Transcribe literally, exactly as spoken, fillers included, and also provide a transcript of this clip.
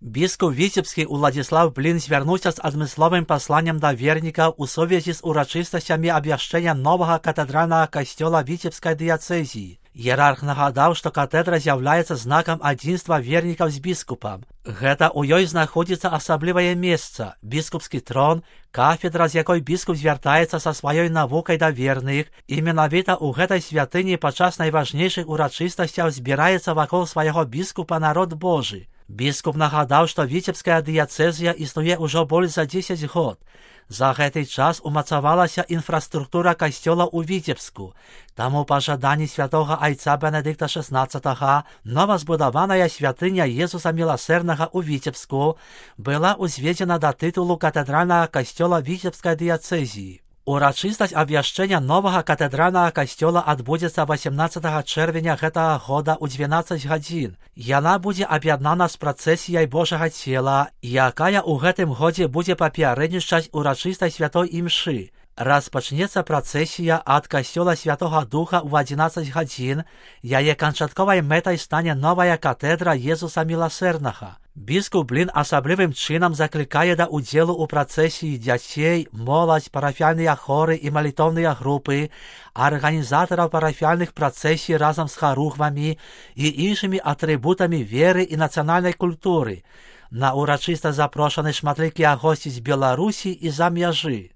Biskup Вітебський Уладзіслав Блін звярнуўся з адмысловым пасланнем да вернікаў у сувязі з урачыстасцямі абвяшчэння новага катэдральнага касцёла Віцебскай дыяцэзіі. Іерарх нагадаў, што катедра з'яўляецца знакам адзінства вернікаў з біскупам. Гэта ў ёй знаходзіцца асаблівае месца, біскупскі трон, кафедра, з якой біскуп звяртаецца са сваёй навукай да верных, і менавіта ў гэтай святыні падчас найважнейшых урачыстасцяў збіраецца вакол свайго біскупа народ Божы. Біскуп нагадаў, што Віцебская дыяцэзія існуе ўжо больш за дзесяць год. За гэты час умацавалася інфраструктура касцёла ў Віцебску. Таму па жаданні святога айца Бенедыкта шаснаццатага новазбудаваная святыня Езуса Міласэрнага ў Віцебску была ўзведзена да тытулу катэдральнага касцёла Віцебскай дыяцэзіі. Урачыстасць абвяшчэння новага катэдральнага касцёла адбудзецца васямнаццатага чэрвеня гэтага года ў дванаццаць гадзін. Яна будзе аб'яднана з працэсіяй Божага цела, якая ў гэтым годзе будзе папярэднічаць урачыстай святой імшы. Распачнецца працэсія ад касцёла Святога Духа ў адзінаццаць гадзін, яе канчатковай мэтай стане новая катэдра Езуса Міласэрнага. Біскуп Блін асаблівым чынам заклікае да ўдзелу ў працэсіі дзяцей, моладзь, парафіяльныя хоры і малітоўныя групы, арганізатараў парафіяльных працэсій разам з харухвамі і іншымі атрыбутамі веры і нацыянальнай культуры. На урачыста запрошаны шматлікія госці з Беларусі і за мяжы.